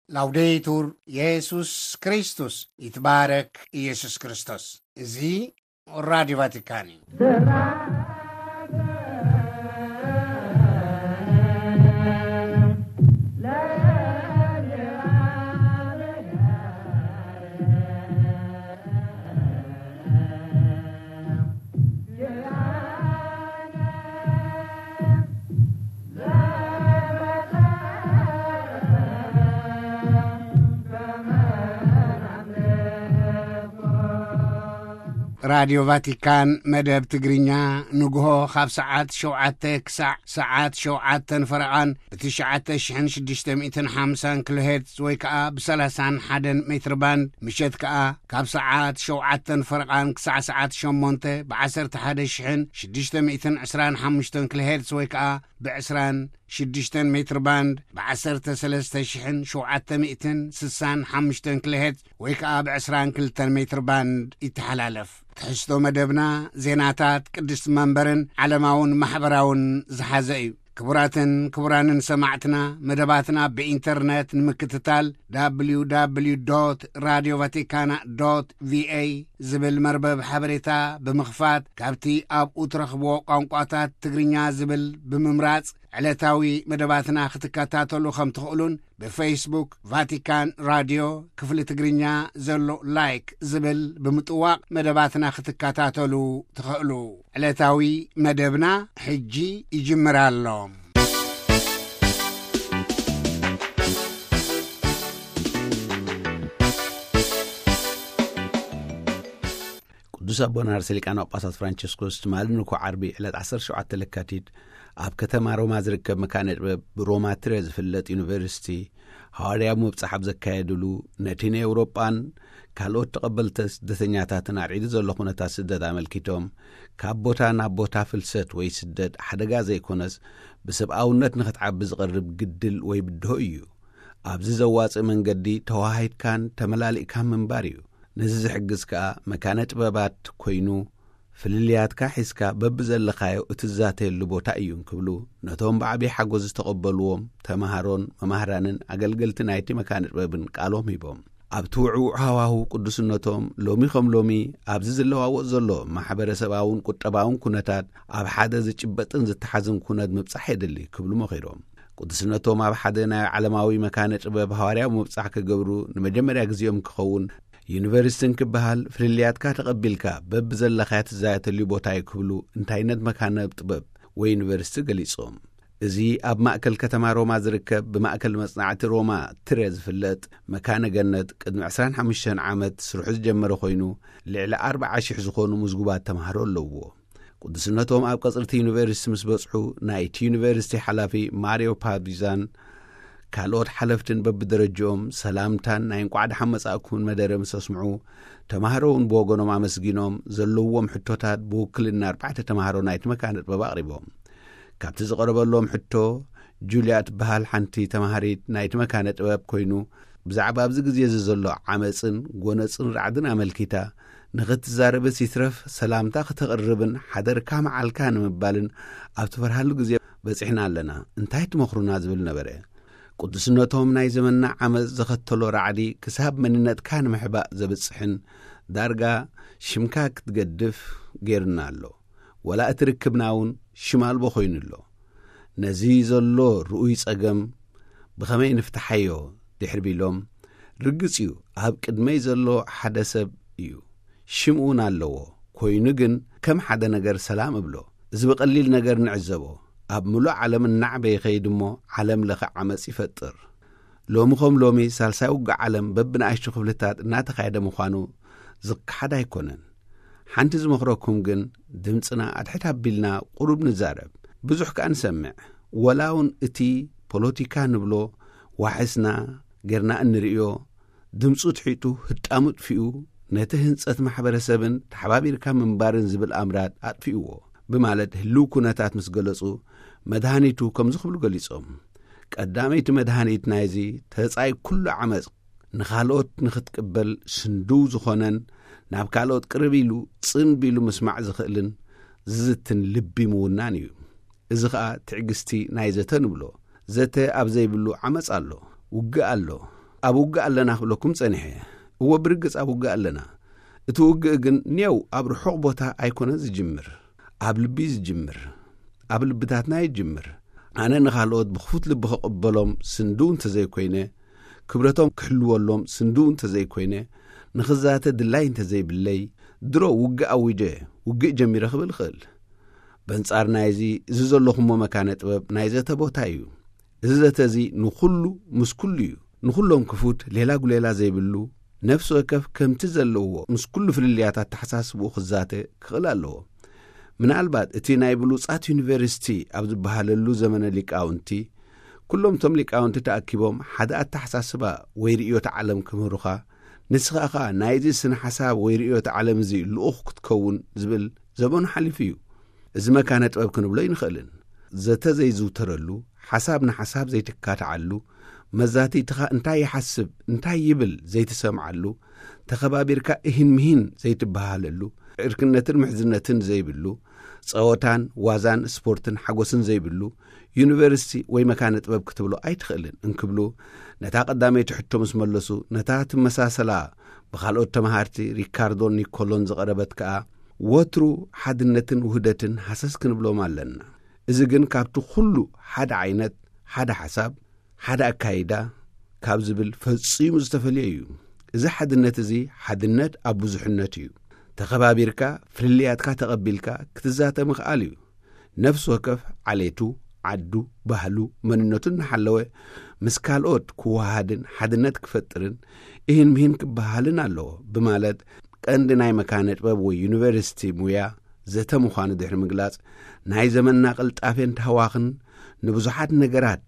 ላውዴቱር የሱስ ክርስቶስ፣ ይትባረክ ኢየሱስ ክርስቶስ። እዚ ራዲዮ ቫቲካን እዩ። ራዲዮ ቫቲካን መደብ ትግርኛ ንግሆ ካብ ሰዓት ሸውዓተ ክሳዕ ሰዓት ሸውዓተን ፈረቓን ብትሽዓተ ሽሕን ሽዱሽተ ሚእትን ሓምሳን ኪሎ ሄርትዝ ወይ ከኣ ብሰላሳን ሓደን ሜትር ባንድ፣ ምሸት ከኣ ካብ ሰዓት ሸውዓተን ፈረቓን ክሳዕ ሰዓት ሸሞንተ ብዓሰርተ ሓደ ሽሕን ሽዱሽተ ሚእትን ዕስራን ሓሙሽተን ኪሎ ሄርትዝ ወይ ከኣ ብዕስራን ሽዱሽተን ሜትር ባንድ ብዓሰርተ ሰለስተ ሽሕን ሸውዓተ ሚእትን ስሳን ሓሙሽተን ኪሎ ሄርትዝ ወይ ከኣ ብዕስራን ክልተን ሜትር ባንድ ይተሓላለፍ። ትሕዝቶ መደብና ዜናታት ቅድስቲ መንበርን ዓለማውን ማሕበራውን ዝሓዘ እዩ። ክቡራትን ክቡራንን ሰማዕትና፣ መደባትና ብኢንተርነት ንምክትታል፣ www radio vaticana ቪኤ ዝብል መርበብ ሓበሬታ ብምኽፋት፣ ካብቲ ኣብኡ ትረኽብዎ ቋንቋታት ትግርኛ ዝብል ብምምራጽ፣ ዕለታዊ መደባትና ክትከታተሉ ከም ትኽእሉን፣ ብፌስቡክ ቫቲካን ራድዮ ክፍሊ ትግርኛ ዘሎ ላይክ ዝብል ብምጥዋቕ መደባትና ክትከታተሉ ትኽእሉ። ዕለታዊ መደብና ሕጂ ይጅምር ኣሎ። ቅዱስ ኣቦና ርእሰ ሊቃነ ጳጳሳት ፍራንቸስኮስ ትማሊ ንግሆ ዓርቢ ዕለት ዓሰርተ ሸውዓተ ለካቲት ኣብ ከተማ ሮማ ዝርከብ መካነ ጥበብ ብሮማ ትረ ዝፍለጥ ዩኒቨርሲቲ ሃዋርያዊ ምብጻሕ ኣብ ዘካየድሉ፣ ነቲ ንኤውሮጳን ካልኦት ተቐበልቲ ስደተኛታትን ኣርዒዱ ዘሎ ኩነታት ስደት ኣመልኪቶም፣ ካብ ቦታ ናብ ቦታ ፍልሰት ወይ ስደት ሓደጋ ዘይኮነስ ብሰብኣውነት ንኽትዓቢ ዝቐርብ ግድል ወይ ብድሆ እዩ። ኣብዚ ዘዋጽእ መንገዲ ተዋሃሂድካን ተመላሊእካን ምንባር እዩ። ነዚ ዝሕግዝ ከኣ መካነ ጥበባት ኮይኑ፣ ፍልልያትካ ሒዝካ በብዘለኻዮ እትዛተየሉ ቦታ እዩ እንክብሉ፣ ነቶም ብዓቢ ሓጎስ ዝተቐበልዎም ተማሃሮን መማህራንን ኣገልገልቲ ናይቲ መካነ ጥበብን ቃሎም ሂቦም። ኣብቲ ውዕዉዕ ሃዋሁ ቅዱስነቶም ሎሚ ከም ሎሚ ኣብዚ ዝለዋወጥ ዘሎ ማሕበረሰባውን ቁጠባውን ኩነታት ኣብ ሓደ ዝጭበጥን ዝተሓዝን ኩነት ምብጻሕ የድሊ ክብሉ መኺሮም። ቅዱስነቶም ኣብ ሓደ ናይ ዓለማዊ መካነ ጥበብ ሃዋርያዊ ምብጻሕ ክገብሩ ንመጀመርያ ግዜኦም ክኸውን፣ ዩኒቨርሲቲ እንክበሃል ፍልልያትካ ተቐቢልካ በብዘለኻዮ ትዛተየሉ ቦታ እዩ ክብሉ እንታይነት መካነ ጥበብ ወይ ዩኒቨርሲቲ ገሊጾም። እዚ ኣብ ማእከል ከተማ ሮማ ዝርከብ ብማእከል መጽናዕቲ ሮማ ትረ ዝፍለጥ መካነ ገነት ቅድሚ ዕስራን ሓሙሽተን ዓመት ስርሑ ዝጀመረ ኮይኑ፣ ልዕሊ ኣርብዓ ሽሕ ዝኾኑ ምዝጉባት ተማሃሮ ኣለውዎ። ቅዱስነቶም ኣብ ቀጽሪ እቲ ዩኒቨርሲቲ ምስ በጽሑ፣ ናይቲ ዩኒቨርሲቲ ሓላፊ ማሪዮ ፓቪዛን ካልኦት ሓለፍትን በብደረጅኦም ሰላምታን ናይ እንቋዕ ደሓን መጻእኩም መደረ ምስ ኣስምዑ፣ ተማሃሮ እውን ብወገኖም ኣመስጊኖም፣ ዘለውዎም ሕቶታት ብውክልና ኣርባዕተ ተማሃሮ ናይቲ መካነ ጥበብ ኣቕሪቦም። ካብቲ ዝቐረበሎም ሕቶ፣ ጁልያ ትበሃል ሓንቲ ተማሃሪት ናይቲ መካነ ጥበብ ኮይኑ፣ ብዛዕባ ኣብዚ ግዜ እዚ ዘሎ ዓመጽን ጎነጽን ራዕድን ኣመልኪታ፣ ንኽትዛረብስ ይትረፍ ሰላምታ ክተቕርብን ሓደርካ መዓልካ ንምባልን ኣብ ትፈርሃሉ ግዜ በጺሕና ኣለና። እንታይ ትመኽሩና? ዝብል ነበረ። ቅዱስነቶም ናይ ዘመንና ዓመጽ ዘኸተሎ ራዕዲ ክሳብ መንነትካ ንምሕባእ ዘብጽሕን ዳርጋ ሽምካ ክትገድፍ ገይሩና ኣሎ። ወላ እቲ ርክብና እውን ሽም ኣልቦ ኮይኑ ኣሎ። ነዚ ዘሎ ርኡይ ጸገም ብኸመይ ንፍትሓዮ? ድሕሪ ቢሎም፣ ርግጽ እዩ፣ ኣብ ቅድመይ ዘሎ ሓደ ሰብ እዩ። ሽም እውን ኣለዎ። ኮይኑ ግን ከም ሓደ ነገር ሰላም እብሎ። እዚ ብቐሊል ነገር ንዕዘቦ። ኣብ ምሉእ ዓለም እናዕበየ ይኸይድ እሞ ዓለም ለኸ ዓመጽ ይፈጥር። ሎሚ ከም ሎሚ ሳልሳይ ውግእ ዓለም በብንኣሽቱ ክፍልታት እናተኻየደ ምዃኑ ዝከሓድ ኣይኮነን። ሓንቲ ዝመኽረኩም ግን ድምጽና ኣድሕድ ኣቢልና ቁሩብ ንዛረብ። ብዙሕ ከኣ ንሰምዕ። ወላ እውን እቲ ፖለቲካ ንብሎ ዋሕስና ጌርና እንርእዮ፣ ድምጹ ትሒጡ ህጣሙ ጥፊኡ፣ ነቲ ህንጸት ማሕበረሰብን ተሓባቢርካ ምንባርን ዝብል ኣምራት ኣጥፊእዎ ብማለት ህልው ኩነታት ምስ ገለጹ፣ መድሃኒቱ ከምዚ ክብሉ ገሊጾም። ቀዳመይቲ መድሃኒት ናይዚ ተጻይ ኩሉ ዓመጽ ንኻልኦት ንኽትቅበል ስንድው ዝኾነን ናብ ካልኦት ቅርብ ኢሉ ጽን ቢሉ ምስማዕ ዝኽእልን ዝዝትን ልቢ ምውናን እዩ። እዚ ኸኣ ትዕግስቲ ናይ ዘተ ንብሎ። ዘተ ኣብ ዘይብሉ ዓመጽ ኣሎ፣ ውግእ ኣሎ፣ ኣብ ውግእ ኣለና ክብለኩም ጸኒሐ። እወ፣ ብርግጽ ኣብ ውግእ ኣለና። እቲ ውግእ ግን ኔው ኣብ ርሑቕ ቦታ ኣይኮነ ዝጅምር፣ ኣብ ልቢ ዝጅምር፣ ኣብ ልብታትና ይጅምር። ኣነ ንኻልኦት ብኽፉት ልቢ ክቕበሎም ስንድው እንተዘይኮይነ፣ ክብረቶም ክሕልወሎም ስንድው እንተዘይኮይነ፣ ንኽዛተ ድላይ እንተዘይብለይ፣ ድሮ ውግእ ኣዊጀ፣ ውግእ ጀሚረ ክብል እኽእል። በንጻር ናይዚ፣ እዚ ዘለኹሞ መካነ ጥበብ ናይ ዘተ ቦታ እዩ። እዚ ዘተ እዚ ንኹሉ ምስ ኩሉ እዩ። ንኹሎም ክፉት፣ ሌላ ጉሌላ ዘይብሉ፣ ነፍሲ ወከፍ ከምቲ ዘለዎ ምስ ኩሉ ፍልልያት ኣተሓሳስብኡ ክዛተ ክኽእል ኣለዎ። ምናልባት እቲ ናይ ብሉጻት ዩኒቨርሲቲ ኣብ ዝበሃለሉ ዘመነ ሊቃውንቲ፣ ኩሎም እቶም ሊቃውንቲ ተኣኪቦም ሓደ ኣተሓሳስባ ወይ ርእዮተ ዓለም ክምህሩኻ፣ ንስኻ ኸኣ ናይዚ ስነ ሓሳብ ወይ ርእዮተ ዓለም እዚ ልኡኽ ክትከውን ዝብል ዘበኑ ሓሊፉ እዩ። እዚ መካነ ጥበብ ክንብሎ ኣይንኽእልን። ዘተ ዘይዝውተረሉ፣ ሓሳብ ንሓሳብ ዘይትካትዓሉ፣ መዛትይትኻ እንታይ ይሓስብ፣ እንታይ ይብል ዘይትሰምዓሉ፣ ተኸባቢርካ እሂን ምሂን ዘይትበሃለሉ፣ ዕርክነትን ምሕዝነትን ዘይብሉ፣ ጸወታን ዋዛን ስፖርትን ሓጎስን ዘይብሉ፣ ዩኒቨርሲቲ ወይ መካነ ጥበብ ክትብሎ ኣይትኽእልን እንክብሉ፣ ነታ ቀዳመይቲ ሕቶ ምስ መለሱ፣ ነታ ትመሳሰላ ብኻልኦት ተመሃርቲ ሪካርዶን ኒኮሎን ዝቐረበት ከኣ፣ ወትሩ ሓድነትን ውህደትን ሃሰስ ክንብሎም ኣለና። እዚ ግን ካብቲ ኩሉ ሓደ ዓይነት፣ ሓደ ሓሳብ፣ ሓደ ኣካይዳ ካብ ዝብል ፈጺሙ ዝተፈልየ እዩ። እዚ ሓድነት እዚ ሓድነት ኣብ ብዙሕነት እዩ። ተኸባቢርካ፣ ፍልልያትካ ተቐቢልካ ክትዛተ ምኽኣል እዩ። ነፍሲ ወከፍ ዓሌቱ፣ ዓዱ፣ ባህሉ፣ መንነቱ እናሓለወ ምስ ካልኦት ክወሃሃድን ሓድነት ክፈጥርን እሂን ምሂን ክበሃልን ኣለዎ ብማለት ቀንዲ ናይ መካነ ጥበብ ወይ ዩኒቨርሲቲ ሙያ ዘተ ምዃኑ ድሕሪ ምግላጽ፣ ናይ ዘመንና ቅልጣፌን ታህዋኽን ንብዙሓት ነገራት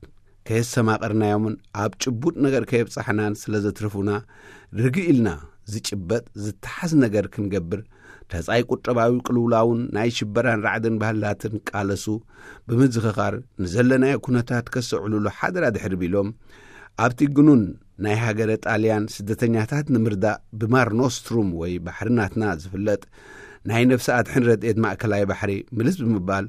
ከየሰማቐርናዮምን ኣብ ጭቡጥ ነገር ከየብጻሕናን ስለ ዘትርፉና፣ ርግእ ኢልና ዝጭበጥ ዝተሓዝ ነገር ክንገብር፣ ተጻይ ቁጠባዊ ቅልውላውን ናይ ሽበራን ራዕድን ባህልታትን ቃለሱ ብምዝኽኻር፣ ንዘለናዮ ኩነታት ከስተውዕሉሉ ሓደራ ድሕሪ ቢሎም፣ ኣብቲ ግኑን ናይ ሃገረ ጣልያን ስደተኛታት ንምርዳእ ብማር ኖስትሩም ወይ ባሕሪ ናትና ዝፍለጥ ናይ ነፍሲ ኣድሕን ረድኤት ማእከላይ ባሕሪ ምልስ ብምባል፣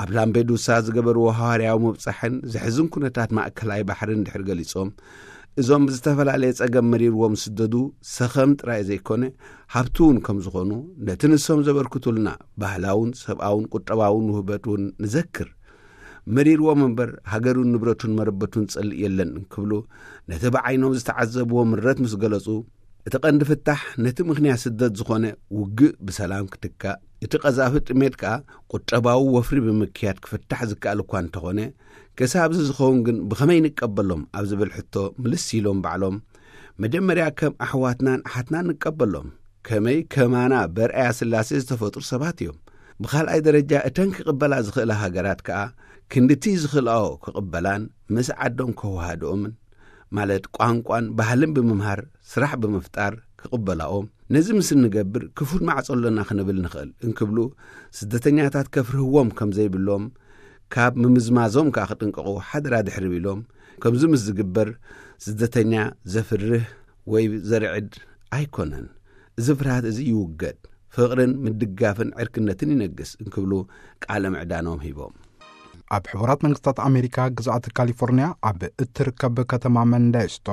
ኣብ ላምፔዱሳ ዝገበርዎ ሃዋርያዊ ምብጻሕን ዘሕዝን ኩነታት ማእከላይ ባሕርን ድሕሪ ገሊጾም፣ እዞም ብዝተፈላለየ ጸገም መሪርዎም ዝስደዱ ሰኸም ጥራይ ዘይኮነ፣ ሃብቲ እውን ከም ዝኾኑ፣ ነቲ ንሶም ዘበርክቱልና ባህላውን ሰብኣውን ቁጠባውን ውህበት እውን ንዘክር። መሪርዎም እምበር፣ ሃገሩን ንብረቱን መረበቱን ጸልእ የለን እንክብሉ፣ ነቲ ብዓይኖም ዝተዓዘብዎ ምረት ምስ ገለጹ፣ እቲ ቀንዲ ፍታሕ ነቲ ምኽንያት ስደት ዝኾነ ውግእ ብሰላም ክትካእ፣ እቲ ቀዛፊ ጥሜት ከኣ ቁጠባዊ ወፍሪ ብምክያድ ክፍታሕ ዝከኣል እኳ እንተኾነ፣ ክሳብ እዚ ዝኸውን ግን ብኸመይ ንቀበሎም ኣብ ዝብል ሕቶ ምልስ ኢሎም ባዕሎም፣ መጀመርያ ከም ኣሕዋትናን ኣሓትናን ንቀበሎም። ከመይ ከማና በርኣያ ስላሴ ዝተፈጥሩ ሰባት እዮም። ብኻልኣይ ደረጃ እተን ክቕበላ ዝኽእላ ሃገራት ከኣ ክንድቲ ዝኽእላኦ ክቕበላን ምስ ዓዶም ከወሃድኦምን፣ ማለት ቋንቋን ባህልን ብምምሃር ስራሕ ብምፍጣር ክቕበላኦ፣ ነዚ ምስ እንገብር ክፉት ማዕጾ ኣሎና ክንብል ንኽእል እንክብሉ፣ ስደተኛታት ከፍርህዎም ከም ዘይብሎም፣ ካብ ምምዝማዞም ከኣ ክጥንቀቑ ሓደራ ድሕሪ ቢሎም፣ ከምዚ ምስ ዝግበር ስደተኛ ዘፍርህ ወይ ዘርዕድ ኣይኮነን። እዚ ፍርሃት እዚ ይውገድ፣ ፍቕርን ምድጋፍን ዕርክነትን ይነግስ እንክብሉ ቃለ ምዕዳኖም ሂቦም። ኣብ ሕቡራት መንግስታት ኣሜሪካ ግዝኣት ካሊፎርኒያ ኣብ እትርከብ ከተማ መንደስቶ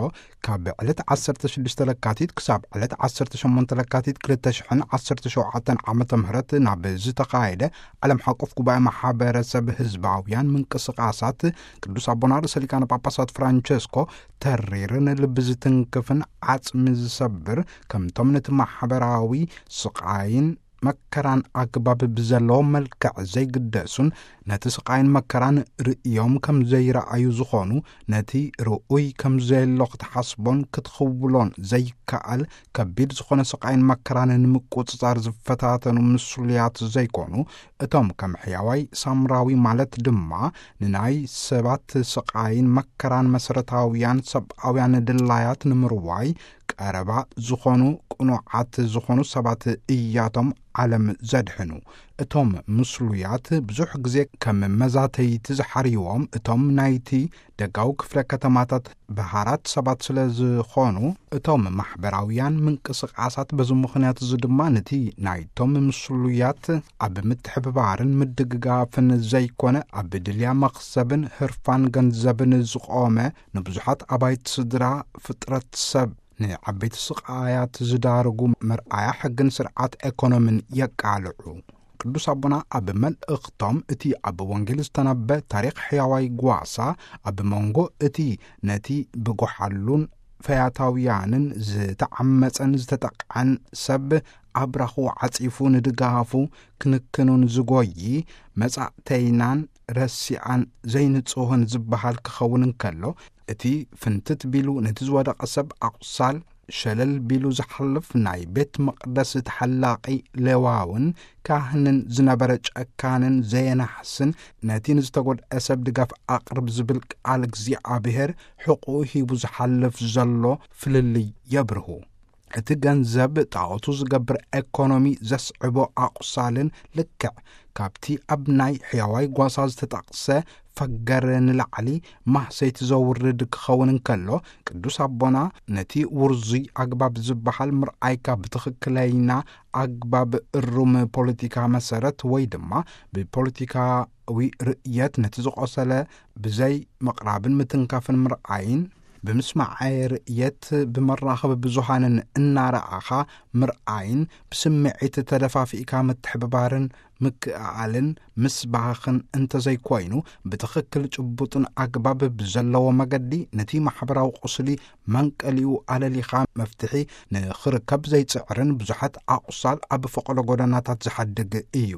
ካብ ዕለት ዓሰርተ ሽዱሽተ ለካቲት ክሳብ ዕለት ዓሰርተ ሸሞንተ ለካቲት ክልተ ሽሕን ዓሰርተ ሸውዓተን ዓመተ ምህረት ናብ ዝተኻየደ ዓለም ሓቆፍ ጉባኤ ማሕበረሰብ ህዝባውያን ምንቅስቃሳት ቅዱስ ኣቦና ርእሰ ሊቃነ ጳጳሳት ፍራንቸስኮ ተሪርን ልቢ ዝትንክፍን ዓጽሚ ዝሰብር፣ ከምቶም ነቲ ማሕበራዊ ስቓይን መከራን ኣግባብ ብዘለዎ መልክዕ ዘይግደሱን ነቲ ስቓይን መከራን ርእዮም ከም ዘይረኣዩ ዝኾኑ፣ ነቲ ርኡይ ከም ዘየሎ ክትሓስቦን ክትኽውሎን ዘይከኣል ከቢድ ዝኾነ ስቓይን መከራን ንምቁጽጻር ዝፈታተኑ ምስሉያት ዘይኮኑ፣ እቶም ከም ሕያዋይ ሳምራዊ ማለት ድማ ንናይ ሰባት ስቓይን መከራን መሰረታውያን ሰብኣውያን ድላያት ንምርዋይ ቀረባ ዝኾኑ ቅኑዓት ዝኾኑ ሰባት እያቶም ዓለም ዘድሕኑ። እቶም ምስሉያት ብዙሕ ግዜ ከም መዛተይቲ ዝሓርይዎም፣ እቶም ናይቲ ደጋዊ ክፍለ ከተማታት ብሃራት ሰባት ስለ ዝኾኑ፣ እቶም ማሕበራውያን ምንቅስቃሳት በዚ ምኽንያት እዚ ድማ ነቲ ናይቶም ምስሉያት ኣብ ምትሕብባርን ምድግጋፍን ዘይኮነ፣ ኣብ ድልያ መኽሰብን ህርፋን ገንዘብን ዝቖመ፣ ንብዙሓት ኣባይቲ ስድራ ፍጥረት ሰብ ንዓበይቲ ስቓያት ዝዳርጉ መርኣያ ሕግን ስርዓት ኤኮኖምን የቃልዑ። ቅዱስ ኣቦና ኣብ መልእኽቶም፣ እቲ ኣብ ወንጌል ዝተነበ ታሪኽ ሕያዋይ ጓሳ፣ ኣብ መንጎ እቲ ነቲ ብጎሓሉን ፈያታውያንን ዝተዓመጸን ዝተጠቕዐን ሰብ ኣብራኹ ዓጺፉ ንድጋፉ ክንክኑን ዝጎዪ፣ መጻእተይናን ረሲኣን ዘይንጹህን ዝበሃል ክኸውን እንከሎ፣ እቲ ፍንትት ቢሉ ነቲ ዝወደቐ ሰብ ኣቑሳል ሸለል ቢሉ ዝሓልፍ፣ ናይ ቤት መቕደስ ተሓላቒ ሌዋውን ካህንን ዝነበረ ጨካንን ዘየናሕስን፣ ነቲ ንዝተጎድአ ሰብ ድጋፍ ኣቕርብ ዝብል ቃል እግዚኣብሔር ሕቑኡ ሂቡ ዝሓልፍ ዘሎ ፍልልይ የብርሁ። እቲ ገንዘብ ጣኦቱ ዝገብር ኤኮኖሚ ዘስዕቦ ኣቑሳልን ልክዕ ካብቲ ኣብ ናይ ሕያዋይ ጓሳ ዝተጠቕሰ ፈገር ንላዕሊ ማህሰይቲ ዘውርድ ክኸውን እንከሎ፣ ቅዱስ ኣቦና ነቲ ውርዙይ ኣግባብ ዝበሃል ምርኣይካ ብትኽክለይና ኣግባብ እሩም ፖለቲካ መሰረት ወይ ድማ ብፖለቲካዊ ርእየት ነቲ ዝቖሰለ ብዘይ ምቕራብን ምትንካፍን ምርኣይን፣ ብምስማዐ ርእየት ብመራኸቢ ብዙሃንን እናረኣኻ ምርኣይን ብስምዒት ተደፋፊእካ ምትሕብባርን ምክእኣልን ምስባኽን እንተዘይኮይኑ፣ ብትኽክል ጭቡጥን ኣግባብ ብዘለዎ መገዲ ነቲ ማሕበራዊ ቁስሊ መንቀሊኡ ኣለሊኻ መፍትሒ ንኽርከብ ዘይጽዕርን ብዙሓት ኣቑሳል ኣብ ፈቐዶ ጎደናታት ዝሓድግ እዩ።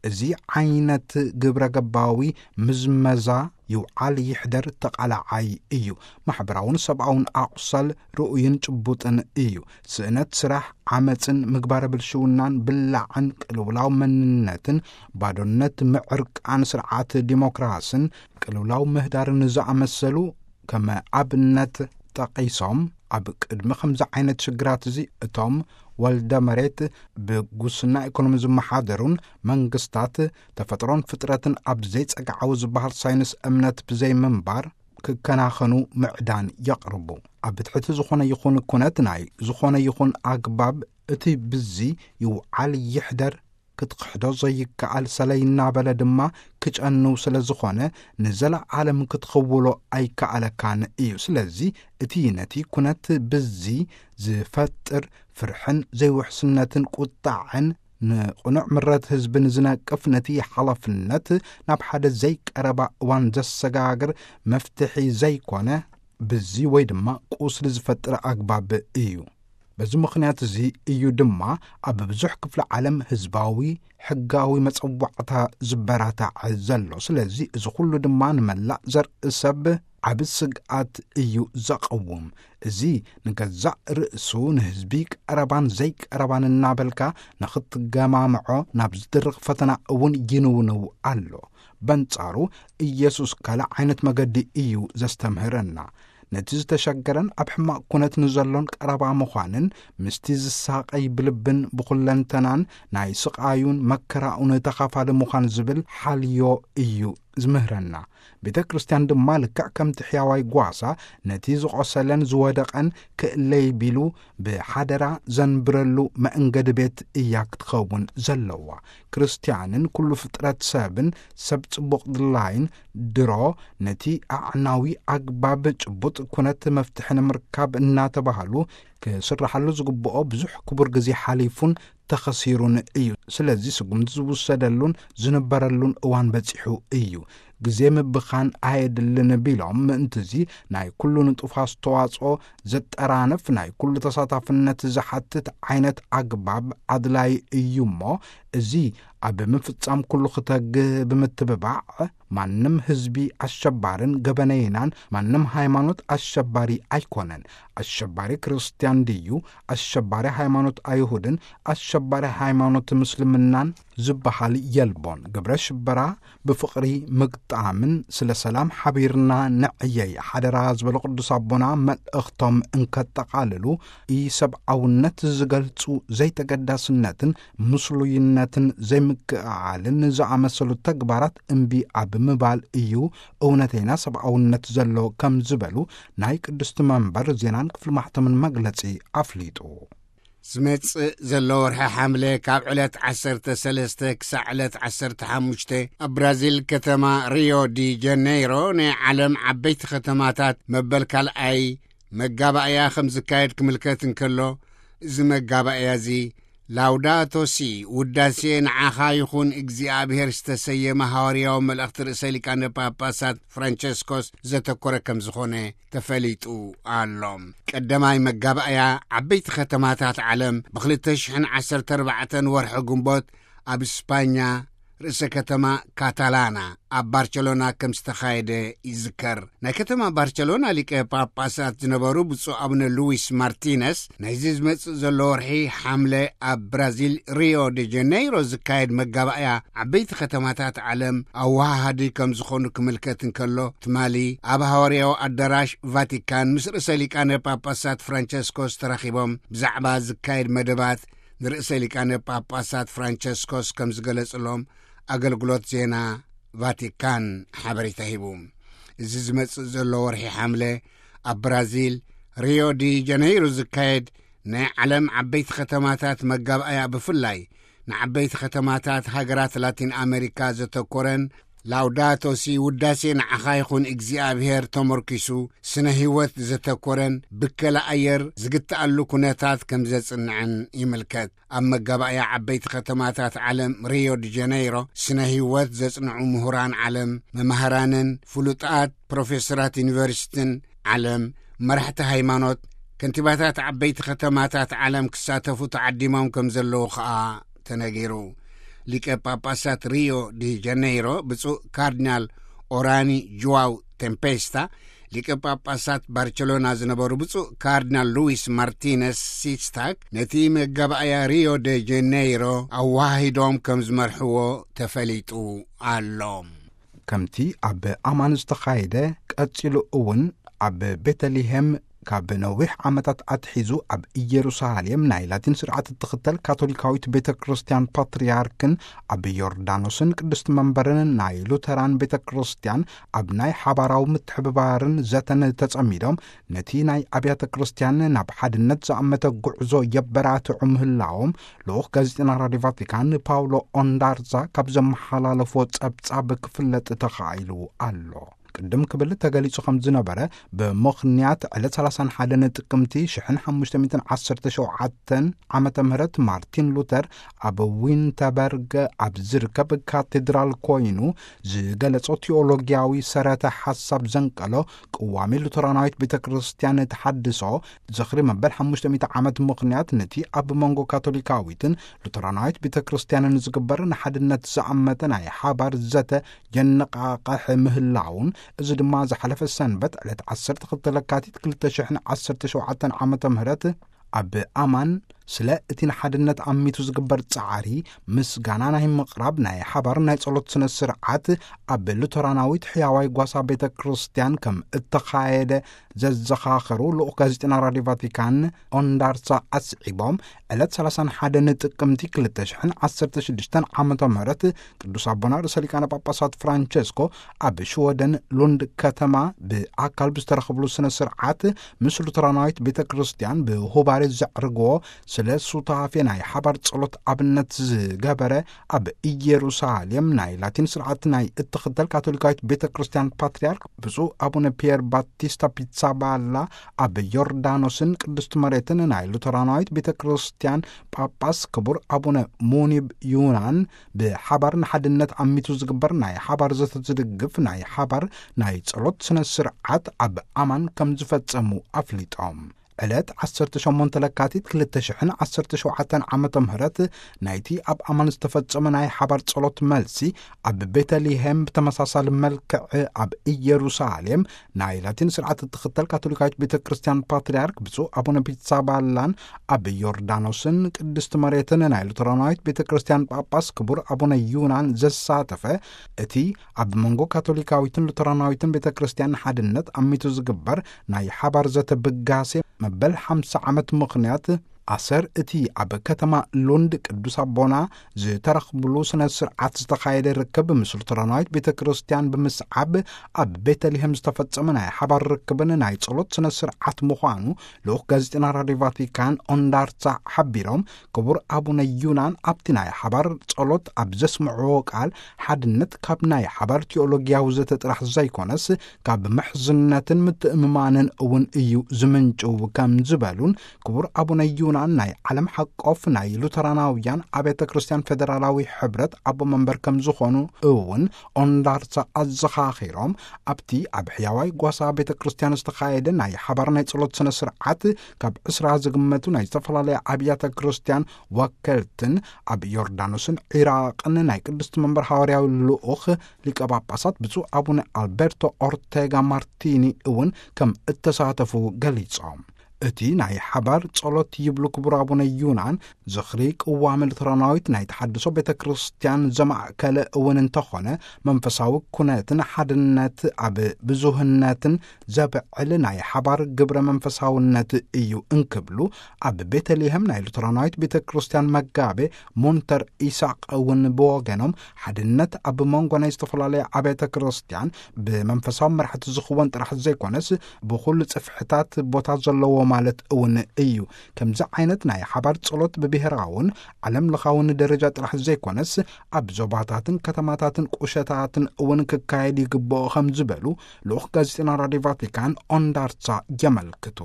እዚ ዓይነት ግብረ ገባዊ ምዝመዛ ይውዓል ይሕደር ተቓላዓይ እዩ። ማሕበራውን ሰብኣውን ኣቑሳል ርኡይን ጭቡጥን እዩ። ስእነት ስራሕ፣ ዓመፅን ምግባረ ብልሽውናን፣ ብላዕን ቅልውላው መንነትን፣ ባዶነት ምዕርቃን ስርዓት ዲሞክራስን ቅልውላው ምህዳርን ዝኣመሰሉ ከም ኣብነት ጠቒሶም፣ ኣብ ቅድሚ ከምዚ ዓይነት ሽግራት እዚ እቶም ወልደ መሬት ብጉስና ኢኮኖሚ ዝመሓደሩን መንግስታት ተፈጥሮን ፍጥረትን ኣብ ዘይጸግዓዊ ዝበሃል ሳይንስ እምነት ብዘይምንባር ክከናኸኑ ምዕዳን የቕርቡ። ኣብ ትሕቲ ዝኾነ ይኹን ኩነት ናይ ዝኾነ ይኹን ኣግባብ እቲ ብዚ ይውዓል ይሕደር ክትክሕዶ ዘይከኣል ሰለይ እናበለ ድማ ክጨኑ ስለ ዝኾነ ንዘለዓለም ክትኽውሎ ኣይከኣለካን እዩ። ስለዚ እቲ ነቲ ኩነት ብዚ ዝፈጥር ፍርሕን ዘይውሕስነትን ቁጣዕን ንቕኑዕ ምረት ህዝብን ዝነቅፍ ነቲ ሓላፍነት ናብ ሓደ ዘይቀረባ እዋን ዘሰጋግር መፍትሒ ዘይኮነ ብዚ ወይ ድማ ቁስሊ ዝፈጥር ኣግባብ እዩ። በዚ ምኽንያት እዚ እዩ ድማ ኣብ ብዙሕ ክፍለ ዓለም ህዝባዊ ሕጋዊ መጸዋዕታ ዝበራታዕ ዘሎ። ስለዚ እዚ ኩሉ ድማ ንመላእ ዘርኢ ሰብ ዓቢ ስግኣት እዩ ዘቐውም። እዚ ንገዛእ ርእሱ ንህዝቢ ቀረባን ዘይቀረባን እናበልካ ንኽትገማምዖ ናብ ዝድርኽ ፈተና እውን ይንውንው ኣሎ። በንጻሩ ኢየሱስ ካልእ ዓይነት መገዲ እዩ ዘስተምህረና። ነቲ ዝተሸገረን ኣብ ሕማቕ ኩነት ንዘሎን ቀረባ ምዃንን ምስቲ ዝሳቐይ ብልብን ብኹለንተናን ናይ ስቓዩን መከራኡን ተኻፋሊ ምዃን ዝብል ሓልዮ እዩ ዝምህረና። ቤተ ክርስቲያን ድማ ልክዕ ከምቲ ሕያዋይ ጓሳ ነቲ ዝቖሰለን ዝወደቐን ክእለይ ቢሉ ብሓደራ ዘንብረሉ መእንገዲ ቤት እያ ክትኸውን ዘለዋ። ክርስቲያንን ኩሉ ፍጥረት ሰብን ሰብ ጽቡቕ ድላይን ድሮ ነቲ ኣዕናዊ ኣግባብ ጭቡጥ ኩነት መፍትሒ ንምርካብ እናተባህሉ ክስራሓሉ ዝግብኦ ብዙሕ ክቡር ግዜ ሓሊፉን ተኸሲሩን እዩ። ስለዚ ስጉምቲ ዝውሰደሉን ዝንበረሉን እዋን በጺሑ እዩ። ግዜ ምብኻን ኣየድልን ቢሎም፣ ምእንትዚ ናይ ኩሉ ንጡፍ ኣስተዋጽኦ ዘጠራንፍ ናይ ኩሉ ተሳታፍነት ዝሓትት ዓይነት ኣግባብ ኣድላይ እዩ እሞ፣ እዚ ኣብ ምፍጻም ኩሉ ክተግህ ብምትብባዕ፣ ማንም ህዝቢ ኣሸባርን ገበነይናን፣ ማንም ሃይማኖት ኣሸባሪ ኣይኮነን። ኣሸባሪ ክርስትያን ድዩ? ኣሸባሪ ሃይማኖት ኣይሁድን ኣሸባሪ ሃይማኖት ምስ እስልምናን ዝበሃል የልቦን። ግብረ ሽበራ ብፍቕሪ ምግጣምን ስለ ሰላም ሓቢርና ንዕየይ ሓደራ ዝበሉ ቅዱስ ኣቦና፣ መልእኽቶም እንከጠቓልሉ፣ ኢሰብኣውነት ዝገልጹ ዘይተገዳስነትን ምስሉይነትን ዘይምክእዓልን ዝኣመሰሉ ተግባራት እምቢ ኣብ ምባል እዩ እውነተይና ሰብኣውነት ዘሎ ከም ዝበሉ ናይ ቅድስቲ መንበር ዜናን ክፍሊ ማሕተምን መግለጺ ኣፍሊጡ። ዝመጽእ ዘሎ ወርሒ ሓምለ ካብ ዕለት ዓሰርተ ሰለስተ ክሳዕ ዕለት ዓሰርተ ሓሙሽተ ኣብ ብራዚል ከተማ ሪዮ ዲ ጀነይሮ ናይ ዓለም ዓበይቲ ከተማታት መበል ካልኣይ መጋባእያ ከም ዝካየድ ክምልከት እንከሎ፣ እዚ መጋባእያ እዚ ላውዳቶ ሲ፣ ውዳሴ ንዓኻ ይኹን እግዚኣብሔር ዝተሰየመ ሃዋርያዊ መልእኽቲ ርእሰ ሊቃነ ጳጳሳት ፍራንቸስኮስ ዘተኮረ ከም ዝኾነ ተፈሊጡ ኣሎ። ቀዳማይ መጋባእያ ዓበይቲ ከተማታት ዓለም ብ ክልተ ሽሕን ዓሰርተ ኣርባዕተን ወርሒ ግንቦት ኣብ ስፓኛ ርእሰ ከተማ ካታላና ኣብ ባርቸሎና ከም ዝተኻየደ ይዝከር። ናይ ከተማ ባርቸሎና ሊቀ ጳጳሳት ዝነበሩ ብፁዕ ኣቡነ ሉዊስ ማርቲነስ፣ ናይዚ ዝመጽእ ዘሎ ወርሒ ሓምለ ኣብ ብራዚል ሪዮ ደ ጀነይሮ ዝካየድ መጋባእያ ዓበይቲ ከተማታት ዓለም ኣወሃሃዲ ከም ዝኾኑ ክምልከት እንከሎ፣ ትማሊ ኣብ ሃዋርያዊ ኣዳራሽ ቫቲካን ምስ ርእሰ ሊቃነ ጳጳሳት ፍራንቸስኮስ ተራኺቦም ብዛዕባ ዝካየድ መደባት ንርእሰ ሊቃነ ጳጳሳት ፍራንቸስኮስ ከም ዝገለጽሎም ኣገልግሎት ዜና ቫቲካን ሓበሬታ ሂቡ። እዚ ዝመጽእ ዘሎ ወርሒ ሓምለ ኣብ ብራዚል ሪዮ ዲ ጀነይሮ ዝካየድ ናይ ዓለም ዓበይቲ ከተማታት መጋባእያ፣ ብፍላይ ንዓበይቲ ከተማታት ሃገራት ላቲን ኣሜሪካ ዘተኮረን ላውዳቶ ሲ፣ ውዳሴ ንዓኻ ይኹን እግዚኣብሔር፣ ተመርኪሱ ስነ ህይወት ዘተኮረን ብከላ ኣየር ዝግትኣሉ ኩነታት ከም ዘጽንዕን ይምልከት። ኣብ መጋባእያ ዓበይቲ ከተማታት ዓለም ሪዮ ዲ ጀነይሮ ስነ ህይወት ዘጽንዑ ምሁራን ዓለም፣ መማህራንን ፍሉጣት ፕሮፌሰራት ዩኒቨርሲቲን ዓለም፣ መራሕቲ ሃይማኖት፣ ከንቲባታት ዓበይቲ ከተማታት ዓለም ክሳተፉ ተዓዲሞም ከም ዘለዉ ኸኣ ተነጊሩ። ሊቀ ጳጳሳት ሪዮ ዲ ጀነይሮ ብፁዕ ካርዲናል ኦራኒ ጁዋው ቴምፔስታ፣ ሊቀ ጳጳሳት ባርቸሎና ዝነበሩ ብፁዕ ካርዲናል ሉዊስ ማርቲነስ ሲስታክ ነቲ መጋባእያ ሪዮ ደ ጀነይሮ ኣወሃሂዶም ከም ዝመርሕዎ ተፈሊጡ ኣሎ። ከምቲ ኣብ ኣማን ዝተኻየደ፣ ቀጺሉ እውን ኣብ ቤተልሔም ካብ ነዊሕ ዓመታት ኣትሒዙ ኣብ ኢየሩሳሌም ናይ ላቲን ስርዓት እትኽተል ካቶሊካዊት ቤተ ክርስቲያን ፓትርያርክን ኣብ ዮርዳኖስን ቅድስቲ መንበርን ናይ ሉተራን ቤተ ክርስቲያን ኣብ ናይ ሓባራዊ ምትሕብባርን ዘተን ተጸሚዶም ነቲ ናይ ኣብያተ ክርስቲያን ናብ ሓድነት ዝኣመተ ጉዕዞ የበራትዑ ምህላዎም ልኡኽ ጋዜጠና ራድዮ ቫቲካን ፓውሎ ኦንዳርዛ ካብ ዘመሓላለፎ ጸብጻብ ክፍለጥ ተኻኢሉ ኣሎ። ቅድም ክብል ተገሊጹ ከም ዝነበረ፣ ብምኽንያት ዕለት ሰላሳን ሓደን ጥቅምቲ ሽሕን ሓሙሽተ ሚእትን ዓሰርተ ሸውዓተን ዓመተ ምህረት ማርቲን ሉተር ኣብ ዊንተበርግ ኣብ ዝርከብ ካቴድራል ኮይኑ ዝገለጾ ቲዮሎጊያዊ ሰረተ ሓሳብ ዘንቀሎ ቅዋሚ ሉተራናዊት ቤተ ክርስቲያን ተሓድሶ ዝኽሪ መበል ሓሙሽተ ሚእቲ ዓመት ምኽንያት ነቲ ኣብ መንጎ ካቶሊካዊትን ሉተራናዊት ቤተ ክርስቲያንን ዝግበር ንሓድነት ዝኣመተ ናይ ሓባር ዘተ የነቓቕሕ ምህላውን፣ እዚ ድማ ዝሓለፈ ሰንበት ዕለት ዓሰርተ ክልተ ለካቲት ክልተ ሽሕን ዓሰርተ ሸውዓተን ዓመተ ምህረት ኣብ ኣማን ስለ እቲ ንሓድነት ኣሚቱ ዝግበር ጻዕሪ ምስጋና ናይ ምቕራብ ናይ ሓባር ናይ ጸሎት ስነ ስርዓት ኣብ ሉተራናዊት ሕያዋይ ጓሳ ቤተ ክርስቲያን ከም እተኻየደ ዘዘኻኸሩ ልኡኽ ጋዜጠና ራድዮ ቫቲካን ኦንዳርሳ ኣስዒቦም፣ ዕለት ሰላሳን ሓደን ጥቅምቲ ክልተ ሽሕን ዓሰርተ ሽዱሽተን ዓመተ ምህረት ቅዱስ ኣቦና ርእሰ ሊቃነ ጳጳሳት ፍራንቸስኮ ኣብ ሽወደን ሉንድ ከተማ ብኣካል ብዝተረኸብሉ ስነ ስርዓት ምስ ሉተራናዊት ቤተ ክርስቲያን ብሁባሬ ዘዕርግዎ ስለ ሱታፌ ናይ ሓባር ጸሎት ኣብነት ዝገበረ ኣብ ኢየሩሳሌም ናይ ላቲን ስርዓት ናይ እትኽተል ካቶሊካዊት ቤተ ክርስቲያን ፓትርያርክ ብፁዕ ኣቡነ ፒየር ባቲስታ ፒትሳባላ ኣብ ዮርዳኖስን ቅድስቲ መሬትን ናይ ሉተራናዊት ቤተ ክርስቲያን ጳጳስ ክቡር ኣቡነ ሙኒብ ዩናን ብሓባር ንሓድነት ኣሚቱ ዝግበር ናይ ሓባር ዘተ ዝድግፍ ናይ ሓባር ናይ ጸሎት ስነ ስርዓት ኣብ ኣማን ከም ዝፈጸሙ ኣፍሊጦም። ዕለት ዓሰርተ ሸሞንተ ለካቲት ክልተ ሽሕን ዓሰርተ ሸውዓተን ዓመተ ምህረት ናይቲ ኣብ ኣማን ዝተፈጸመ ናይ ሓባር ጸሎት መልሲ ኣብ ቤተልሔም ብተመሳሳሊ መልክዕ ኣብ ኢየሩሳሌም ናይ ላቲን ስርዓት እትኽተል ካቶሊካዊት ቤተ ክርስቲያን ፓትርያርክ ብፁዕ ኣቡነ ፒትሳባላን ኣብ ዮርዳኖስን ቅድስቲ መሬትን ናይ ሉተራናዊት ቤተ ክርስቲያን ጳጳስ ክቡር ኣቡነ ዩናን ዘሳተፈ እቲ ኣብ መንጎ ካቶሊካዊትን ሉተራናዊትን ቤተ ክርስቲያን ሓድነት ኣሚቱ ዝግበር ናይ ሓባር ዘተ ብጋሴ መበል ሓምሳ ዓመት ምኽንያት ኣሰር እቲ ኣብ ከተማ ሉንድ ቅዱስ ኣቦና ዝተረኽብሉ ስነ ስርዓት ዝተኻየደ ርክብ ምስ ሉተራናዊት ቤተ ክርስቲያን ብምስዓብ ኣብ ቤተልሔም ዝተፈጸመ ናይ ሓባር ርክብን ናይ ጸሎት ስነ ስርዓት ምዃኑ ልኡኽ ጋዜጠና ራድዮ ቫቲካን ኦንዳርሳ ሓቢሮም፣ ክቡር ኣቡነ ዩናን ኣብቲ ናይ ሓባር ጸሎት ኣብ ዘስምዕዎ ቃል ሓድነት ካብ ናይ ሓባር ቲኦሎጊያዊ ዘተ ጥራሕ ዘይኮነስ ካብ ምሕዝነትን ምትእምማንን እውን እዩ ዝምንጭው ከም ዝበሉን ክቡር ኣቡነ ዩናን ናይ ዓለም ሓቆፍ ናይ ሉተራናውያን ኣብያተ ክርስቲያን ፌደራላዊ ሕብረት ኣቦ መንበር ከም ዝኾኑ እውን ኦንዳርሳ ኣዘኻኺሮም፣ ኣብቲ ኣብ ሕያዋይ ጓሳ ቤተ ክርስቲያን ዝተኻየደ ናይ ሓባር ናይ ጸሎት ስነ ስርዓት ካብ ዕስራ ዝግመቱ ናይ ዝተፈላለያ ኣብያተ ክርስቲያን ወከልትን ኣብ ዮርዳኖስን ዒራቕን ናይ ቅድስቲ መንበር ሃዋርያዊ ልኡኽ ሊቀ ጳጳሳት ብፁዕ ኣቡነ ኣልበርቶ ኦርቴጋ ማርቲኒ እውን ከም እተሳተፉ ገሊጾም። እቲ ናይ ሓባር ጸሎት ይብሉ ክቡር ኣቡነ ዩናን ዝኽሪ ቅዋም ሉተራናዊት ናይ ተሓድሶ ቤተ ክርስቲያን ዘማእከለ እውን እንተኾነ መንፈሳዊ ኩነትን ሓድነት ኣብ ብዙህነትን ዘብዕል ናይ ሓባር ግብረ መንፈሳውነት እዩ እንክብሉ ኣብ ቤተልሔም ናይ ሉተራናዊት ቤተ ክርስቲያን መጋቤ ሞንተር ኢሳቅ እውን ብወገኖም ሓድነት ኣብ መንጎ ናይ ዝተፈላለያ ኣብያተ ክርስቲያን ብመንፈሳዊ መራሕቲ ዝኽወን ጥራሕ ዘይኮነስ ብኹሉ ጽፍሕታት ቦታ ዘለዎ ማለት እውን እዩ። ከምዚ ዓይነት ናይ ሓባር ጸሎት ብብሔራውን ዓለም ለኻውን ደረጃ ጥራሕ ዘይኮነስ ኣብ ዞባታትን ከተማታትን ቁሸታትን እውን ክካየድ ይግብኦ ከም ዝበሉ ልኡኽ ጋዜጠና ራድዮ ቫቲካን ኦንዳርሳ የመልክቱ።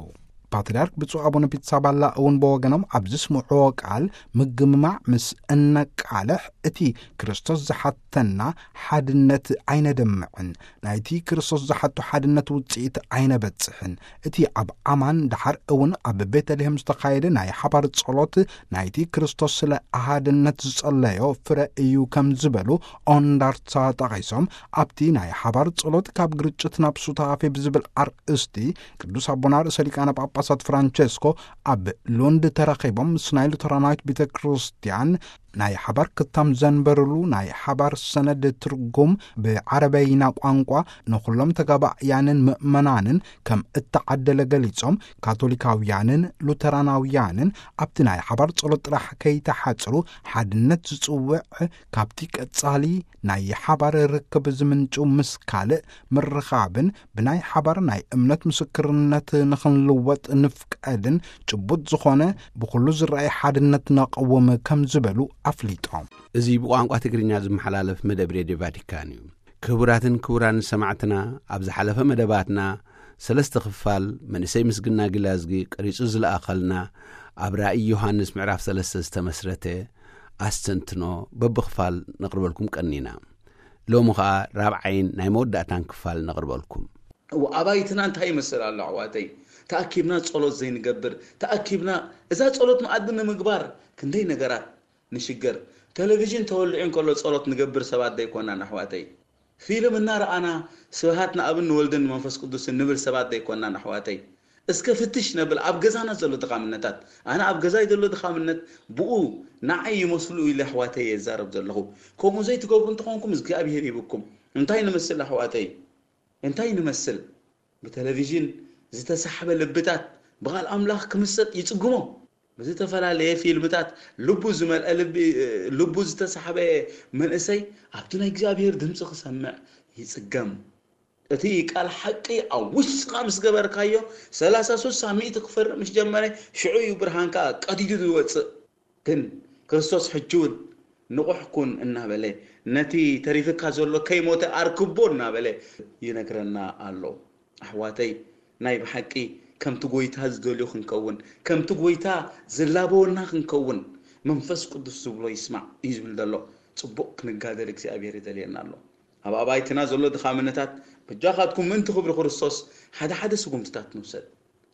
ፓትርያርክ ብፁዕ ኣቡነ ፒትሳባላ እውን ብወገኖም ኣብ ዝስምዕዎ ቃል ምግምማዕ ምስ እነቃልሕ እቲ ክርስቶስ ዝሓተና ሓድነት ኣይነደምዕን፣ ናይቲ ክርስቶስ ዝሓቶ ሓድነት ውፅኢት ኣይነበፅሕን። እቲ ኣብ ኣማን ደሓር እውን ኣብ ቤተልሔም ዝተኻየደ ናይ ሓባር ጸሎት ናይቲ ክርስቶስ ስለ ኣሃድነት ዝጸለዮ ፍረ እዩ ከም ዝበሉ ኦንዳርሳ ጠቒሶም፣ ኣብቲ ናይ ሓባር ጸሎት ካብ ግርጭት ናብ ሱታፌ ብዝብል ኣርእስቲ ቅዱስ ኣቦና ርእሰ ሊቃነ ጳጳሳት ፍራንቸስኮ ኣብ ሉንድ ተራኺቦም ምስ ናይ ሉተራናዊት ቤተ ክርስቲያን ናይ ሓባር ክታም ዘንበርሉ ናይ ሓባር ሰነድ ትርጉም ብዓረበይና ቋንቋ ንኹሎም ተጋባእያንን ምእመናንን ከም እተዓደለ ገሊጾም፣ ካቶሊካውያንን ሉተራናውያንን ኣብቲ ናይ ሓባር ጸሎት ጥራሕ ከይተሓጽሩ ሓድነት ዝጽውዕ ካብቲ ቀጻሊ ናይ ሓባር ርክብ ዝምንጩ ምስ ካልእ ምርኻብን ብናይ ሓባር ናይ እምነት ምስክርነት ንኽንልወጥ ንፍቀድን ጭቡጥ ዝኾነ ብኹሉ ዝረኣይ ሓድነት ነቐውም ከም ዝበሉ ኣፍሊጦም። እዚ ብቋንቋ ትግርኛ ዝመሓላለፍ መደብ ሬድዮ ቫቲካን እዩ። ክቡራትን ክቡራን ሰማዕትና፣ ኣብ ዝሓለፈ መደባትና ሰለስተ ክፋል መንእሰይ ምስግና ጊላዝጊ ቀሪጹ ዝለኣኸልና ኣብ ራእይ ዮሃንስ ምዕራፍ ሰለስተ ዝተመስረተ ኣስተንትኖ በብኽፋል ነቕርበልኩም ቀኒና። ሎሚ ኸኣ ራብዓይን ናይ መወዳእታን ክፋል ነቕርበልኩም። እዎ፣ ኣባይትና እንታይ ይመስል ኣሎ ኣሕዋተይ? ተኣኪብና ጸሎት ዘይንገብር፣ ተኣኪብና እዛ ጸሎት መኣዲ ንምግባር ክንደይ ነገራት ንሽገር። ቴሌቪዥን ተወሊዑ እንከሎ ጸሎት ንገብር ሰባት ዘይኮናን ኣሕዋተይ? ፊልም እናረኣና ስብሃት ንኣብን ንወልድን ንመንፈስ ቅዱስን ንብል ሰባት ዘይኮናን ኣሕዋተይ? እስከ ፍትሽ ነብል ኣብ ገዛና ዘሎ ድኻምነታት። ኣነ ኣብ ገዛይ ዘሎ ድኻምነት ብኡ ንዓይ ይመስሉ ኢለ ኣሕዋተይ የዛረብ ዘለኹ። ከምኡ ዘይትገብሩ እንተኾንኩም እግዚኣብሄር ይብኩም። እንታይ ንመስል ኣሕዋተይ? እንታይ ንመስል? ብቴሌቪዥን ዝተሳሕበ ልብታት ብቓል ኣምላኽ ክምሰጥ ይጽግሞ። ብዝተፈላለየ ፊልምታት ልቡ ዝመልአ ልቢ፣ ልቡ ዝተሳሕበ መንእሰይ ኣብቲ ናይ እግዚኣብሔር ድምፂ ክሰምዕ ይጽገም። እቲ ቃል ሓቂ ኣብ ውሽጥኻ ምስ ገበርካዮ፣ ሰላሳ፣ ስሳ፣ ሚእቲ ክፈርቕ ምስ ጀመረ፣ ሽዑ እዩ ብርሃንካ ቀዲዱ ዝወጽእ። ግን ክርስቶስ ሕጂ እውን ንቑሕ ኩን እናበለ፣ ነቲ ተሪፍካ ዘሎ ከይሞተ ኣርክቦ እናበለ ይነግረና ኣሎ። ኣሕዋተይ፣ ናይ ብሓቂ ከምቲ ጐይታ ዝደልዮ ክንከውን፣ ከምቲ ጐይታ ዝላበወና ክንከውን፣ መንፈስ ቅዱስ ዝብሎ ይስማዕ እዩ ዝብል ዘሎ። ጽቡቕ ክንጋደል እግዚኣብሔር ይደልየና ኣሎ። ኣብ ኣባይትና ዘሎ ድኻምነታት በጃኻትኩም ምእንቲ ክብሪ ክርስቶስ ሓደ ሓደ ስጉምትታት ንውሰድ።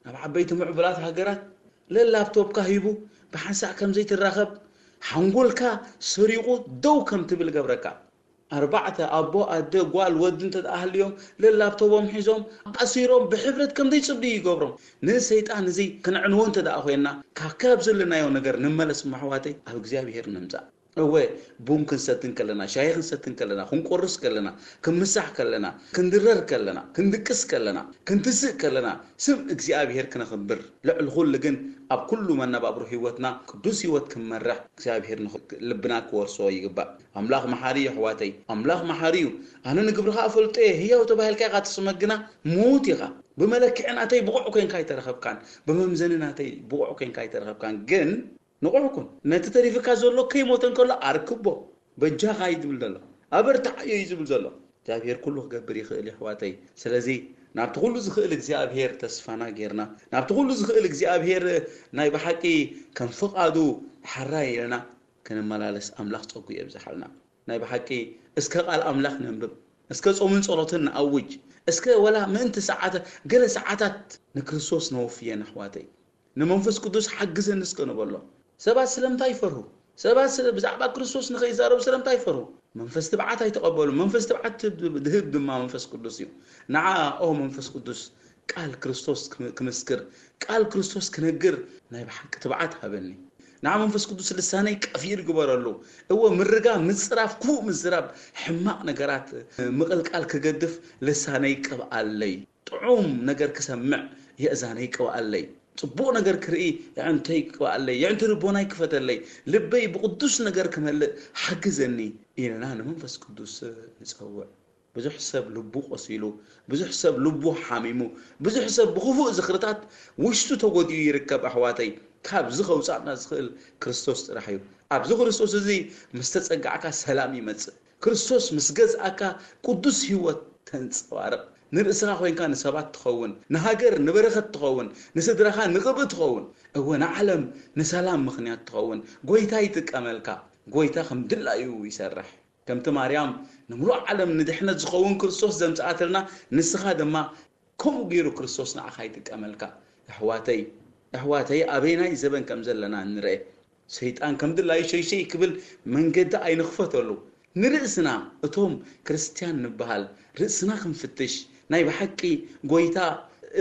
ኣብ ዓበይቲ ምዕቡላት ሃገራት ለላፕቶፕካ ሂቡ ብሓንሳእ ከም ዘይትራኸብ፣ ሓንጎልካ ሰሪቑ ደው ከም ትብል ገብረካ። ኣርባዕተ፣ ኣቦ፣ ኣደ፣ ጓል፣ ወዲ እንተ ደኣ ሃልዮም፣ ለላፕቶቦም ሒዞም ኣሲሮም ብሕፍረት ከም ዘይጽብዩ ይገብሮም። ንሰይጣን እዚ ክንዕንዎ እንተ ደኣ ኮይና፣ ካብ ካብ ዘለናዮ ነገር ንመለስ መሕዋተይ፣ ኣብ እግዚኣብሔር ንምጻእ። እወ፣ ቡን ክንሰትን ከለና፣ ሻሂ ክንሰትን ከለና፣ ክንቆርስ ከለና፣ ክንምሳሕ ከለና፣ ክንድረር ከለና፣ ክንድቅስ ከለና፣ ክንትስእ ከለና፣ ስም እግዚኣብሔር ክነኽብር፣ ልዕሊ ኩሉ ግን ኣብ ኩሉ መነባብሮ ህይወትና ቅዱስ ህይወት ክንመርሕ እግዚኣብሔር ንኽ-፣ ልብና ክወርሶ ይግባእ። ኣምላኽ መሓሪ እዩ ኣሕዋተይ፣ ኣምላኽ መሓሪ እዩ። ኣነ ንግብርኻ እፈልጦ እየ፣ ህያው ተባሂልካ ኢኻ ትስመ ግና ምዉት ኢኻ። ብመለክዒ ናተይ ብቑዕ ኮይንካ ኣይተረኸብካን፣ ብመምዘኒ ናተይ ብቑዕ ኮይንካ ኣይተረኸብካን። ግን ንቑሕ ኩን። ነቲ ተሪፍካ ዘሎ ከይሞተ እንከሎ ኣርክቦ። በጃኻ እዩ ዝብል ዘሎ። ኣበርትዓዮ እዩ ዝብል ዘሎ። እግዚኣብሔር ኩሉ ክገብር ይኽእል እዩ ኣሕዋተይ። ስለዚ ናብቲ ኩሉ ዝኽእል እግዚኣብሔር ተስፋና ጌርና፣ ናብቲ ኩሉ ዝኽእል እግዚኣብሔር ናይ ብሓቂ ከም ፍቓዱ ሓራይ ኢልና ክንመላለስ ኣምላኽ ጸጉ የብዝሓልና። ናይ ብሓቂ እስከ ቃል ኣምላኽ ነንብብ። እስከ ጾምን ጸሎትን ንኣውጅ። እስከ ወላ ምእንቲ ሰዓተ-፣ ገለ ሰዓታት ንክርስቶስ ነወፍየን ኣሕዋተይ። ንመንፈስ ቅዱስ ሓግዘኒ እስከ ንበሎ። ሰባት ስለምንታይ ይፈርሁ? ሰባት ስለ-፣ ብዛዕባ ክርስቶስ ንኸይዛረቡ ስለምንታይ ይፈርሁ? መንፈስ ትብዓት ኣይተቐበሉ። መንፈስ ትብዓት ትብ-፣ ድህብ ድማ መንፈስ ቅዱስ እዩ። ንዓ ኦ መንፈስ ቅዱስ ቃል ክርስቶስ ክም-፣ ክምስክር፣ ቃል ክርስቶስ ክነግር ናይ ብሓቂ ትብዓት ሃበኒ። ንዓ መንፈስ ቅዱስ ልሳነይ ቀፊር ግበረሉ። እወ ምርጋ፣ ምጽራፍ፣ ክፉእ ምዝራብ፣ ሕማቕ ነገራት ምቕልቃል ክገድፍ ልሳነይ ቅብኣለይ። ጥዑም ነገር ክሰምዕ የእዛነይ ቅብኣለይ። ጽቡቕ ነገር ክርኢ የዕንተይ ቅብኣለይ። የዕንቲ ልቦናይ ክፈተለይ። ልበይ ብቕዱስ ነገር ክመልእ ሓግዘኒ ኢልና ንመንፈስ ቅዱስ ንጸውዕ። ብዙሕ ሰብ ልቡ ቆሲሉ፣ ብዙሕ ሰብ ልቡ ሓሚሙ፣ ብዙሕ ሰብ ብኽፉእ ዝኽርታት ውሽጡ ተጎዲኡ ይርከብ ኣሕዋተይ። ካብዚ ከውጻእና ዝኽእል ክርስቶስ ጥራሕ እዩ። ኣብዚ ክርስቶስ እዚ ምስ ተጸጋዕካ ሰላም ይመጽእ። ክርስቶስ ምስ ገዝኣካ ቅዱስ ህይወት ተንጸባርቕ። ንርእስኻ ኮይንካ ንሰባት ትኸውን፣ ንሃገር ንበረኸት ትኸውን፣ ንስድራኻ ንቕብእ ትኸውን። እወ ንዓለም ንሰላም ምኽንያት ትኸውን። ጎይታ ይጥቀመልካ። ጎይታ ከም ድላዩ ይሰርሕ። ከምቲ ማርያም ንምሉእ ዓለም ንድሕነት ዝኸውን ክርስቶስ ዘምጽኣትልና፣ ንስኻ ድማ ከምኡ ገይሩ ክርስቶስ ንዓኻ ይጥቀመልካ። ኣሕዋተይ፣ ኣሕዋተይ ኣበይናይ ዘበን ከም ዘለና ንርአ። ሰይጣን ከም ድላዩ ሸይሸይ ክብል መንገዲ ኣይንኽፈተሉ። ንርእስና እቶም ክርስትያን ንበሃል ርእስና ክንፍትሽ፣ ናይ ብሓቂ ጎይታ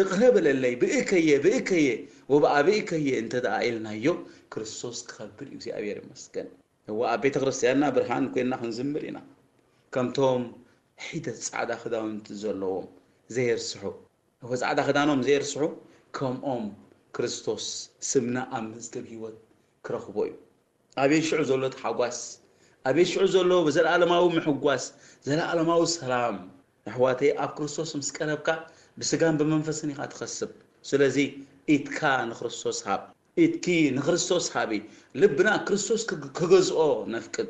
እቕረ በለለይ፣ ብእከየ፣ ብእከየ፣ ወብኣ ብእከየ እንተ ደኣ ኢልናዮ፣ ክርስቶስ ክኸብር እዩ። እግዚኣብሔር ይመስገን። እወ ኣብ ቤተ ክርስትያንና ብርሃን ኮይንና ክንዝምር ኢና። ከምቶም ሒደት ጻዕዳ ክዳውንቲ ዘለዎም ዘየርስሑ፣ እወ ጻዕዳ ክዳኖም ዘየርስሑ፣ ከምኦም ክርስቶስ ስምና ኣብ መዝገብ ህይወት ክረኽቦ እዩ። ኣቤት ሽዑ ዘሎ ተሓጓስ፣ ኣቤት ሽዑ ዘሎ ዘለኣለማዊ ምሕጓስ፣ ዘለኣለማዊ ሰላም። ኣሕዋተይ ኣብ ክርስቶስ ምስ ቀረብካ ብስጋን ብመንፈስን ኢኻ ትኸስብ። ስለዚ ኢድካ ንክርስቶስ ሃብ። ኢድኪ ንክርስቶስ ሃቢ። ልብና ክርስቶስ ክግ-፣ ክገዝኦ ነፍቅድ።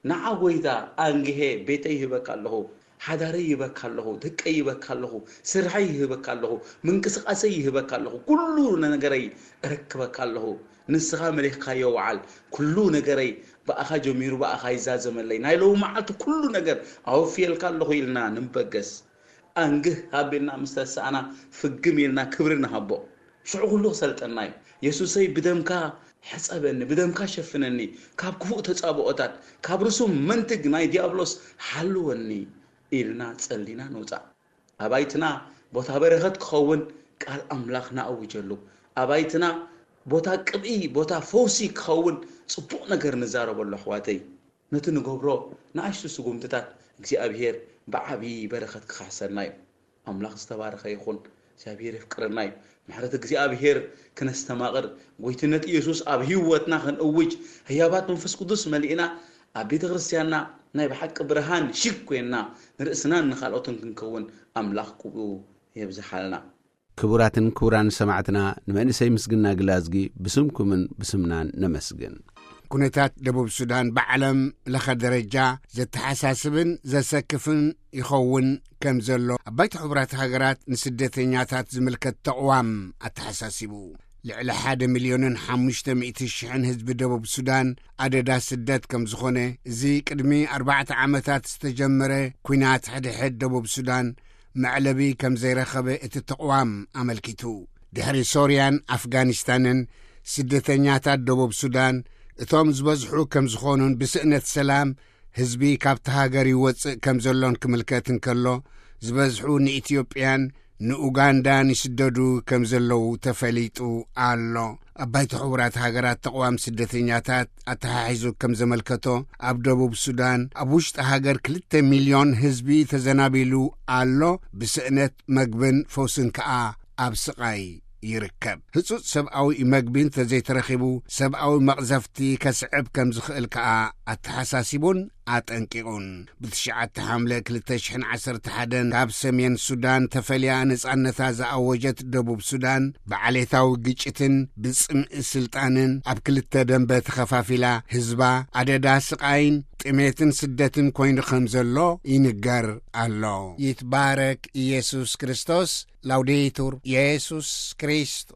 ንዓ ጎይታ ኣንግሄ ቤተይ ይህበካ ኣለኹ፣ ሓዳረይ ይህበካ ኣለኹ፣ ደቀይ ይህበካ ኣለኹ፣ ስርሐይ ይህበካ ኣለኹ፣ ምንቅስቃሰይ ይህበካ ኣለኹ፣ ኩሉ ነገረይ እረክበካ ኣለኹ። ንስኻ መሊኽካዮ ወዓል፣ ኩሉ ነገረይ ብኣኻ ጀሚሩ ብኣኻ ይዛዘመለይ። ናይ ሎሚ መዓልቲ ኩሉ ነገር ኣወፍየልካ ኣለኹ ኢልና ንበገስ። ኣንግህ ኣቢልና ምስ ተሳእና ፍግም ኢልና ክብሪ ንሃቦ። ሽዑ ኩሉ ክሰልጠና እዩ። የሱሰይ ብደምካ ሕጸበኒ፣ ብደምካ ሸፍነኒ፣ ካብ ክፉእ ተጻብኦታት፣ ካብ ርሱም መንትግ ናይ ዲያብሎስ ሓልወኒ ኢልና ጸሊና ንውጻእ። ኣባይትና ቦታ በረኸት ክኸውን ቃል ኣምላኽ ንኣውጀሉ። ኣባይትና ቦታ ቅብኢ፣ ቦታ ፈውሲ ክኸውን ጽቡቕ ነገር ንዛረበሉ ኣሕዋተይ። ነቲ ንገብሮ ንኣሽቱ ስጉምትታት እግዚኣብሔር ብዓብዪ በረኸት ክኸሕሰልና እዩ። ኣምላኽ ዝተባረኸ ይኹን። እግዚኣብሔር የፍቅረና እዩ። ምሕረት እግዚኣብሔር ክነስተማቕር፣ ጎይትነት ኢየሱስ ኣብ ህይወትና ክንእውጅ፣ ህያባት መንፈስ ቅዱስ መሊእና፣ ኣብ ቤተ ክርስትያንና ናይ ብሓቂ ብርሃን ሽግ ኮይንና፣ ንርእስናን ንኻልኦትን ክንከውን ኣምላኽ ቅብኡ የብዝሓልና። ክቡራትን ክቡራን ሰማዕትና፣ ንመንእሰይ ምስግና ግላዝጊ ብስምኩምን ብስምናን ነመስግን። ኩነታት ደቡብ ሱዳን ብዓለም ለኸ ደረጃ ዘተሓሳስብን ዘሰክፍን ይኸውን ከም ዘሎ ኣባይቲ ሕቡራት ሃገራት ንስደተኛታት ዝምልከት ተቕዋም ኣተሓሳሲቡ። ልዕሊ ሓደ ሚልዮንን ሓሙሽተ ሚእቲ ሽሕን ህዝቢ ደቡብ ሱዳን ኣደዳ ስደት ከም ዝኾነ፣ እዚ ቅድሚ ኣርባዕተ ዓመታት ዝተጀመረ ኲናት ሕድሕድ ደቡብ ሱዳን መዕለቢ ከም ዘይረኸበ እቲ ተቕዋም ኣመልኪቱ። ድሕሪ ሶርያን ኣፍጋኒስታንን፣ ስደተኛታት ደቡብ ሱዳን እቶም ዝበዝሑ ከም ዝኾኑን ብስእነት ሰላም ህዝቢ ካብቲ ሃገር ይወጽእ ከም ዘሎን ክምልከት እንከሎ፣ ዝበዝሑ ንኢትዮጵያን ንኡጋንዳን ይስደዱ ከም ዘለዉ ተፈሊጡ ኣሎ። ኣብ ባይቶ ሕቡራት ሃገራት ተቕዋም ስደተኛታት ኣተሓሒዙ ከም ዘመልከቶ፣ ኣብ ደቡብ ሱዳን ኣብ ውሽጢ ሃገር ክልተ ሚልዮን ህዝቢ ተዘናቢሉ ኣሎ። ብስእነት መግብን ፈውስን ከኣ ኣብ ስቓይ ይርከብ። ህጹጽ ሰብኣዊ መግቢ እንተዘይተረኺቡ፣ ሰብኣዊ መቕዘፍቲ ከስዕብ ከም ዝኽእል ከኣ ኣተሓሳሲቡን ኣጠንቂቑን። ብ9 ሓምለ ክልተ ሽሕን ዓሰርተ ሓደን ካብ ሰሜን ሱዳን ተፈልያ ነጻነታ ዝኣወጀት ደቡብ ሱዳን፣ ብዓሌታዊ ግጭትን ብጽምኢ ስልጣንን ኣብ ክልተ ደንበ ተኸፋፊላ፣ ህዝባ ኣደዳ ስቓይን ጥሜትን ስደትን ኮይኑ ከም ዘሎ ይንገር ኣሎ። ይትባረክ ኢየሱስ ክርስቶስ። ላውዴቱር ኢየሱስ ክርስቶስ።